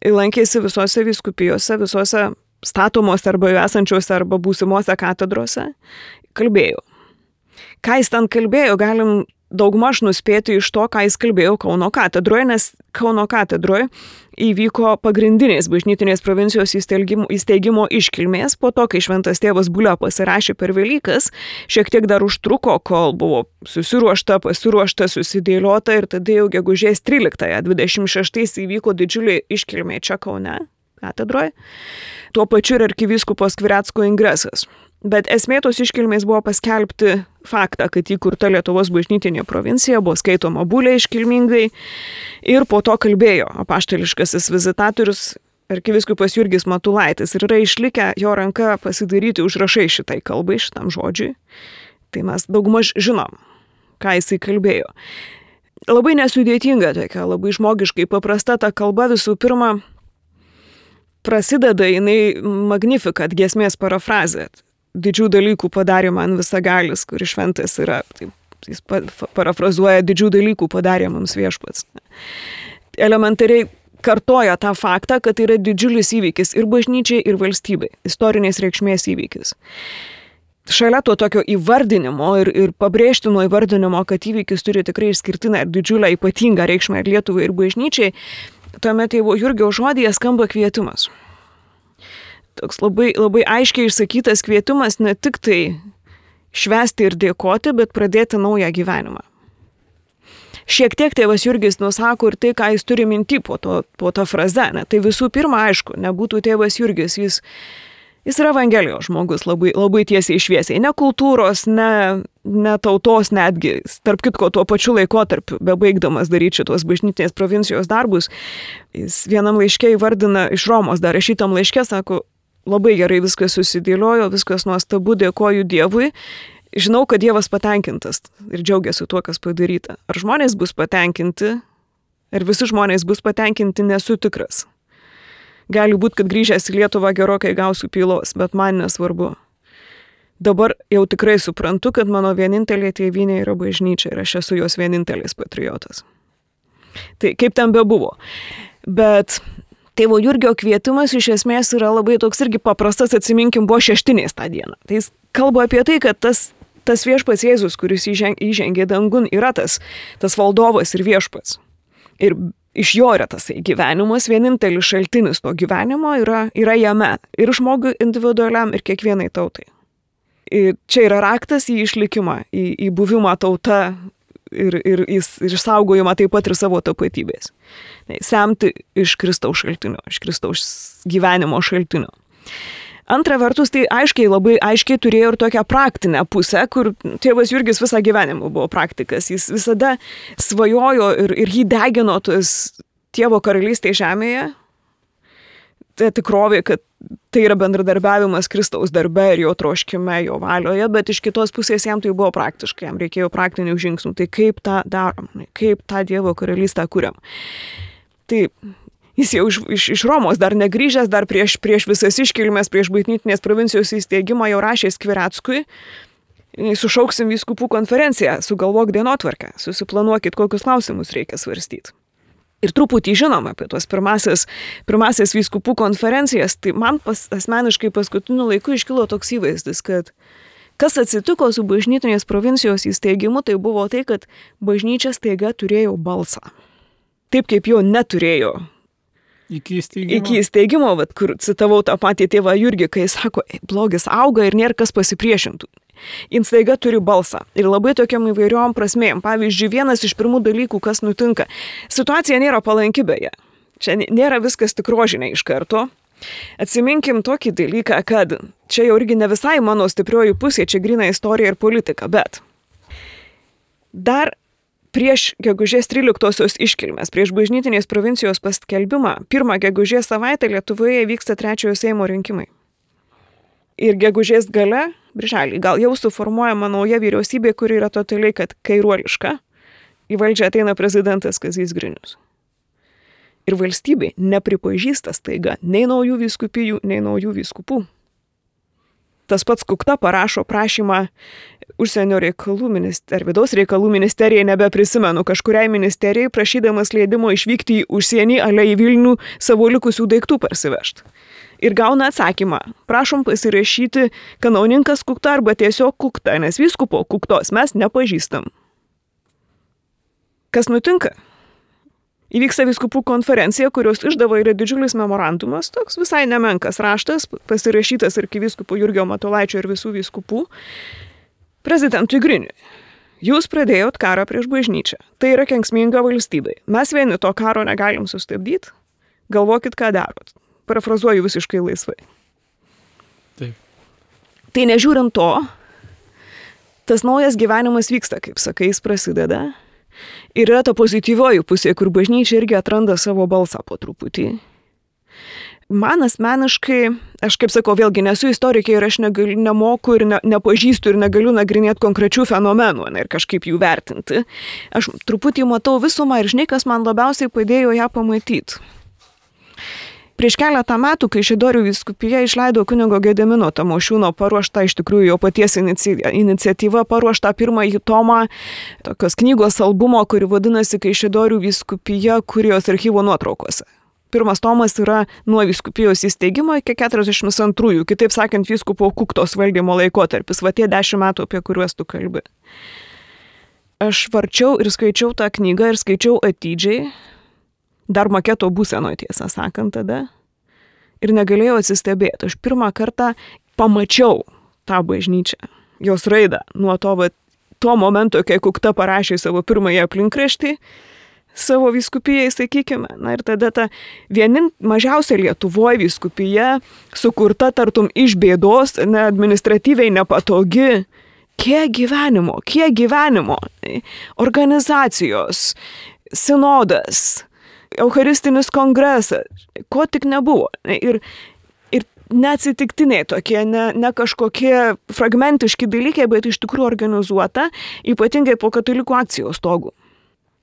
lankėsi visose vyskupijose, visose statomose arba esančiose arba būsimose katedrose, kalbėjo. Ką jis ten kalbėjo, galim daugmaž nuspėti iš to, ką jis kalbėjo Kauno katedroje, nes Kauno katedroje įvyko pagrindinės bažnytinės provincijos įsteigimo, įsteigimo iškilmės. Po to, kai šventas tėvas Bulio pasirašė per Velykas, šiek tiek dar užtruko, kol buvo susiruošta, pasiruošta, susidėliota ir tada jau gegužės tryliktąją dvidešimt šeštais įvyko didžiulė iškilmė čia Kaune katedroje. Tuo pačiu ir arkivyskupo Skvirecko ingresas. Bet esmė tos iškilmės buvo paskelbti faktą, kad įkurta Lietuvos bažnytinė provincija, buvo skaitoma Bulė iškilmingai ir po to kalbėjo apaštališkasis vizitatorius arkivyskupas Jurgis Matulaitis ir yra išlikę jo ranka pasidaryti užrašai šitai kalbai, šitam žodžiui. Tai mes daugmaž žinom, ką jisai kalbėjo. Labai nesudėtinga tokia, labai žmogiškai paprasta ta kalba. Visų pirma, prasideda jinai Magnificat giesmės parafrazė. Didžių dalykų padarė man visagalis, kuris šventas yra. Taip, jis parafrazuoja, didžių dalykų padarė mums viešpats. Elementariai kartoja tą faktą, kad tai yra didžiulis įvykis ir bažnyčiai, ir valstybei. Istorinės reikšmės įvykis. Šalia to tokio įvardinimo ir, ir pabrėžtino įvardinimo, kad įvykis turi tikrai išskirtinę ir didžiulę ypatingą reikšmę ir Lietuvai, ir bažnyčiai, tuomet tėvo Jurgio žodyje skamba kvietimas. Toks labai, labai aiškiai išsakytas kvietimas ne tik tai švęsti ir dėkoti, bet pradėti naują gyvenimą. Šiek tiek tėvas Jurgis nusako ir tai, ką jis turi minty po, to, po tą frazę. Ne? Tai visų pirma, aišku, nebūtų tėvas Jurgis, jis, jis yra Evangelijos žmogus labai, labai tiesiai šviesiai. Ne kultūros, ne, ne tautos netgi. Tarp kitko, tuo pačiu laikotarpiu, bebaigdamas daryti šitos bažnytinės provincijos darbus, jis vienam laiške įvardina iš Romos, dar rašytam laiške, sako, labai gerai viskas susidėliojo, viskas nuostabu, dėkoju Dievui. Žinau, kad Dievas patenkintas ir džiaugiasi tuo, kas padaryta. Ar žmonės bus patenkinti, ar visi žmonės bus patenkinti, nesu tikras. Gali būti, kad grįžęs į Lietuvą gerokai gausiu pylos, bet man nesvarbu. Dabar jau tikrai suprantu, kad mano vienintelė tėvynė yra bažnyčia ir aš esu jos vienintelis patriotas. Tai kaip ten bebuvo. Bet tėvo Jurgio kvietimas iš esmės yra labai toks irgi paprastas, atsiminkim, buvo šeštinės tą dieną. Tai jis kalba apie tai, kad tas, tas viešpats Jėzus, kuris įžengė dangun, yra tas, tas valdovas ir viešpats. Ir iš jo yra tas gyvenimas, vienintelis šaltinis to gyvenimo yra, yra jame. Ir žmogui individualiam, ir kiekvienai tautai. Ir čia yra raktas į išlikimą, į, į buvimą tauta ir, ir, ir išsaugojimą taip pat ir savo tapatybės. Semti iš Kristaus šaltinio, iš Kristaus gyvenimo šaltinio. Antra vertus, tai aiškiai, labai aiškiai turėjo ir tokią praktinę pusę, kur tėvas Jurgis visą gyvenimą buvo praktikas. Jis visada svajojo ir, ir jį degino tas Dievo karalystė žemėje. Tai tikrovė, kad tai yra bendradarbiavimas Kristaus darbe ir jo troškime, jo valioje, bet iš kitos pusės jam tai buvo praktiškai, jam reikėjo praktinių žingsnių. Tai kaip tą darom, kaip tą Dievo karalystę kuriam. Tai jis jau iš, iš, iš Romos dar negrįžęs, dar prieš, prieš visas iškilmes, prieš bažnytinės provincijos įsteigimą jau rašė Skvireckui, sušauksim vyskupų konferenciją, sugalvok dienotvarkę, susiplanuokit, kokius klausimus reikia svarstyti. Ir truputį žinom apie tuos pirmasis, pirmasis vyskupų konferencijas, tai man pas, asmeniškai paskutiniu laiku iškilo toks įvaizdis, kad kas atsitiko su bažnytinės provincijos įsteigimu, tai buvo tai, kad bažnyčia staiga turėjo balsą. Taip kaip jo neturėjo iki įsteigimo, iki įsteigimo vat, kur citavau tą patį tėvą Jurgį, kai jis sako, blogis auga ir nėra kas pasipriešintų. Jis staiga turi balsą ir labai tokiam įvairiom prasmėm. Pavyzdžiui, vienas iš pirmų dalykų, kas nutinka. Situacija nėra palanki beje. Čia nėra viskas tik rožinė iš karto. Atsiminkim tokį dalyką, kad čia jau irgi ne visai mano stiprioji pusė, čia grina istorija ir politika, bet dar prieš gegužės tryliktosios iškilmes, prieš bažnytinės provincijos paskelbimą, pirmą gegužės savaitę Lietuvoje vyksta trečiojo Seimo rinkimai. Ir gegužės gale, birželį, gal jau suformuojama nauja vyriausybė, kuri yra totaliai kad kairuoliška. Į valdžią ateina prezidentas Kazys Grinius. Ir valstybė nepripažįsta staiga nei naujų vyskupijų, nei naujų vyskupų. tas pats Kukta parašo prašymą užsienio reikalų ministerijai, ar vidaus reikalų ministerijai, nebeprisimenu, kažkuriai ministerijai, prašydamas leidimo išvykti į užsienį, ale į Vilnių savo likusių daiktų parsivežti. Ir gauna atsakymą, prašom pasirašyti kanauninkas Kukta arba tiesiog Kukta, nes vyskupo Kuktos mes nepažįstam. Kas nutinka? Įvyksta vyskupų konferencija, kurios išdava yra didžiulis memorandumas, toks visai nemenkas raštas, pasirašytas arkivyskupo Jurgio Matulaičio ir visų vyskupų, prezidentui Griniui. Jūs pradėjot karą prieš bažnyčią. Tai yra kenksminga valstybei. Mes vieni to karo negalim sustabdyti. Galvokit, ką darot. Parafrazuoju visiškai laisvai. Taip. Tai nežiūrint to, tas naujas gyvenimas vyksta, kaip sakai, jis prasideda. Ir yra ta pozityvioji pusė, kur bažnyčia irgi atranda savo balsą po truputį. Man asmeniškai, aš kaip sakau, vėlgi nesu istorikė ir aš negal, nemoku ir ne, nepažįstu ir negaliu nagrinėti konkrečių fenomenų ne, ir kažkaip jų vertinti. Aš truputį matau visumą ir žinai, kas man labiausiai padėjo ją pamatyti. Prieš keletą metų, kai Kaišiadorių vyskupija išleido kunigo Gedimino Tamošiūno paruoštą, iš tikrųjų jo paties iniciatyva paruoštą pirmąjį tomą tokios knygos albumo, kuri vadinasi Kaišiadorių vyskupija kurijos archyvo nuotraukose. Pirmas tomas yra nuo vyskupijos įsteigimo iki keturiasdešimt antrųjų, kitaip sakant, vyskupo Kuktos valdymo laikotarpis, va tie dešimt metų, apie kuriuos tu kalbi. Aš varčiau ir skaičiau tą knygą ir skaičiau atidžiai, dar maketo būsenoje, tiesą sakant, tada. Ir negalėjau atsistebėti. Aš pirmą kartą pamačiau tą bažnyčią, jos raidą, nuo to, va, tuo momento, kai Kukta parašė savo pirmąjį aplinkraštį, savo vyskupijai, sakykime. Na ir tada ta vienin mažiausia Lietuvoje vyskupija, sukurta tartum iš bėdos, ne, administratyviai nepatogi. Kiek gyvenimo, kiek gyvenimo. Organizacijos, sinodas, eucharistinis kongresas, ko tik nebuvo. Ir, ir neatsitiktiniai tokie, ne, ne kažkokie fragmentiški dalykai, bet iš tikrųjų organizuota, ypatingai po katalikų akcijos stogų.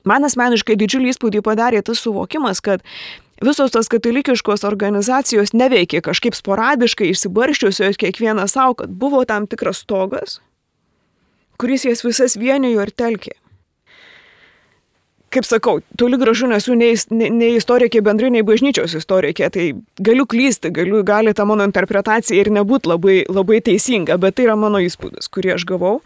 Man asmeniškai didžiulį įspūdį padarė tas suvokimas, kad visos tos katalikiškos organizacijos neveikė kažkaip sporadiškai, išsibarščiusios kiekvieną savo, kad buvo tam tikras stogas, kuris jas visas vienijo ir telkė. Kaip sakau, toli gražu nesu nei, nei, nei istorikė bendrai, nei bažnyčios istorikė, tai galiu klysti, galiu, gali ta mano interpretacija ir nebūti labai, labai teisinga, bet tai yra mano įspūdis, kurį aš gavau.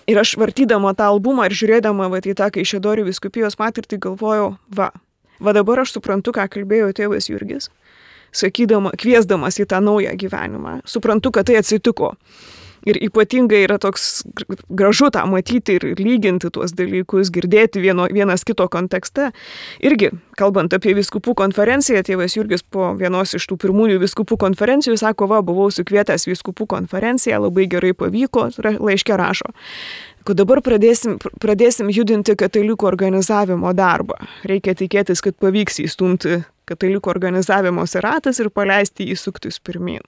Ir aš vartydama tą albumą ir žiūrėdama va, į tą Kaišiadorių vyskupijos patirtį galvojau, va, va dabar aš suprantu, ką kalbėjo tėvas Jurgis, sakydama, kviesdamas į tą naują gyvenimą. Suprantu, kad tai atsitiko. Ir ypatingai yra toks gražu tą matyti ir lyginti tuos dalykus, girdėti vieno, vienas kito kontekste. Irgi, kalbant apie vyskupų konferenciją, tėvas Jurgis po vienos iš tų pirmųjų vyskupų konferencijų sako, va, buvau sukvietęs vyskupų konferenciją, labai gerai pavyko, laiške rašo, kad dabar pradėsim, pradėsim judinti katalikų organizavimo darbą. Reikia tikėtis, kad pavyks įstumti katalikų organizavimo ratas ir paleisti jį suktis pirmin.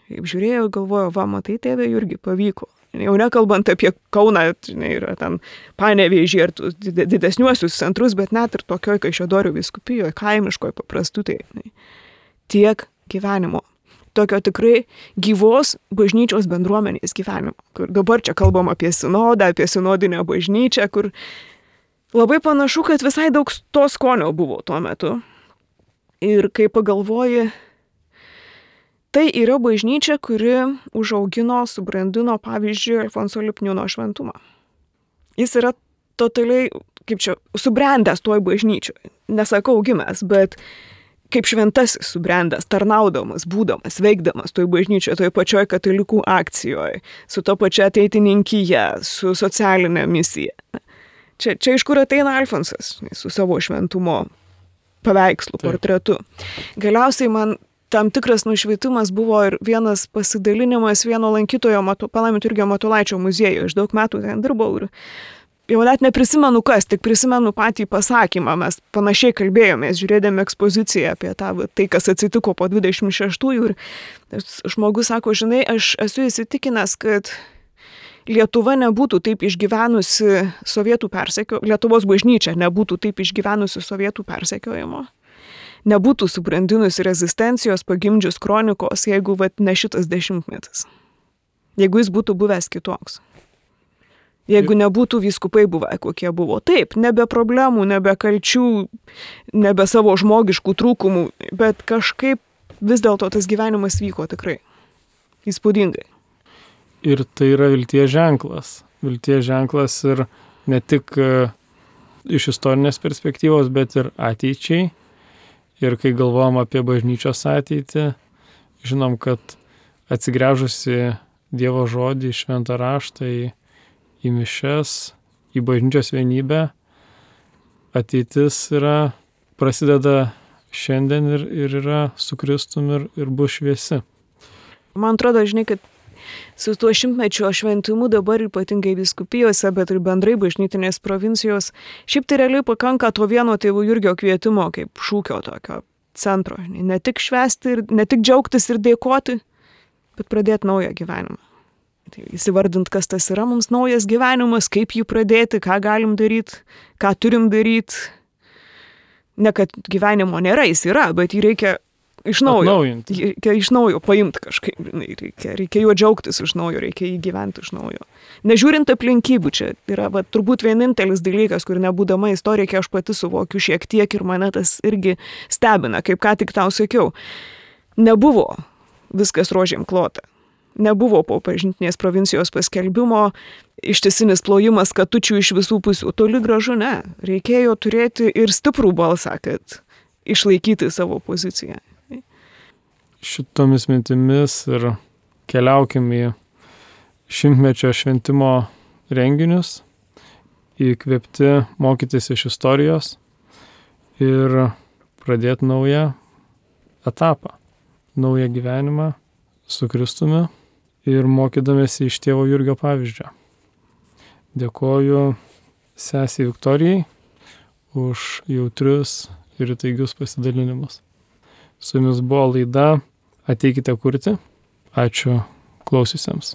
Kaip žiūrėjau, galvojau, va, matai, tėvė Jurgi, pavyko. Jau nekalbant apie Kauną, žinai, yra ten Panevėžį ir didesniuosius centrus, bet net ir tokioj Kaišiadorių vyskupijoje, kaimiškoje paprastutai. Tiek gyvenimo. Tokio tikrai gyvos bažnyčios bendruomenės gyvenimo. Kur dabar čia kalbam apie sinodą, apie sinodinę bažnyčią, kur labai panašu, kad visai daug to skonio buvo tuo metu. Ir kai pagalvoji, tai yra bažnyčia, kuri užaugino, subrandino, pavyzdžiui, Alfonso Lipniūno šventumą. Jis yra totaliai, kaip čia, subrendęs toj bažnyčioj. Nesakau gimęs, bet kaip šventasis subrendęs, tarnaudamas, būdamas, veikdamas toj bažnyčioje, toj pačioj katalikų akcijoje, su to pačia ateitininkyje, su socialinė misija. Čia, čia iš kur ateina Alfonsas, su savo šventumo paveikslu, portretu. Galiausiai man tam tikras nušvietimas buvo ir vienas pasidalinimas vieno lankytojo Matu, Palaiminto Jurgio Matulaičio muziejuje. Aš daug metų ten dirbau ir jau net neprisimenu kas, tik prisimenu patį pasakymą. Mes panašiai kalbėjomės, žiūrėdami ekspoziciją apie tą, tai, kas atsitiko po dvidešimt šeštųjų. Ir žmogus sako, žinai, aš esu įsitikinęs, kad Lietuva nebūtų taip išgyvenusi sovietų persekiojimo, Lietuvos bažnyčia nebūtų taip išgyvenusi sovietų persekiojimo. Nebūtų subrandinusi rezistencijos, pagimdžius kronikos, jeigu vat, ne šitas dešimtmetis. jeigu jis būtų buvęs kitoks. Jeigu nebūtų vyskupai buvę, kokie buvo. Taip, nebe problemų, nebe kalčių, nebe savo žmogiškų trūkumų, bet kažkaip vis dėlto tas gyvenimas vyko tikrai įspūdingai. Ir tai yra vilties ženklas. Vilties ženklas ir ne tik iš istorinės perspektyvos, bet ir ateičiai. Ir kai galvojam apie bažnyčios ateitį, žinom, kad atsigręžusi Dievo žodį, šventą raštą, į, į mišias, į bažnyčios vienybę, ateitis yra, prasideda šiandien ir, ir yra su Kristum ir, ir bus šviesi. Man atrodo, žinai, kad su tuo šimtmečio šventimu dabar ypatingai vyskupijose, bet ir bendrai bažnytinės provincijos, šiaip tai realiai pakanka to vieno tėvų Jurgio kvietimo kaip šūkio tokio centro. Ne tik švęsti, ir, ne tik džiaugtis ir dėkoti, bet pradėti naują gyvenimą. Tai įsivardint, kas tas yra mums naujas gyvenimas, kaip jį pradėti, ką galim daryti, ką turim daryti. Ne, kad gyvenimo nėra, jis yra, bet jį reikia iš naujo. Atnaujinti. Reikia iš naujo paimti kažkaip. Reikia, reikia juo džiaugtis iš naujo, reikia jį gyventi iš naujo. Nežiūrint aplinkybių, čia yra va, turbūt vienintelis dalykas, kur nebūdama istorikė aš pati suvokiu šiek tiek ir mane tas irgi stebina, kaip ką tik tau sakiau. Nebuvo viskas rožėm klota. Nebuvo po bažnytinės provincijos paskelbimo ištisinis plojimas katučių iš visų pusių. Toli gražu ne. Reikėjo turėti ir stiprų balsą, kad išlaikyti savo poziciją. Šitomis mintimis ir keliaukim į šimtmečio šventimo renginius, įkvėpti mokytis iš istorijos ir pradėti naują etapą, naują gyvenimą su Kristumi ir mokydamėsi iš tėvo Jurgio pavyzdžio. Dėkoju sesei Viktorijai už jautrius ir įtaigius pasidalinimus. Su jumis buvo laida Ateikite kurti. Ačiū klausiusiems.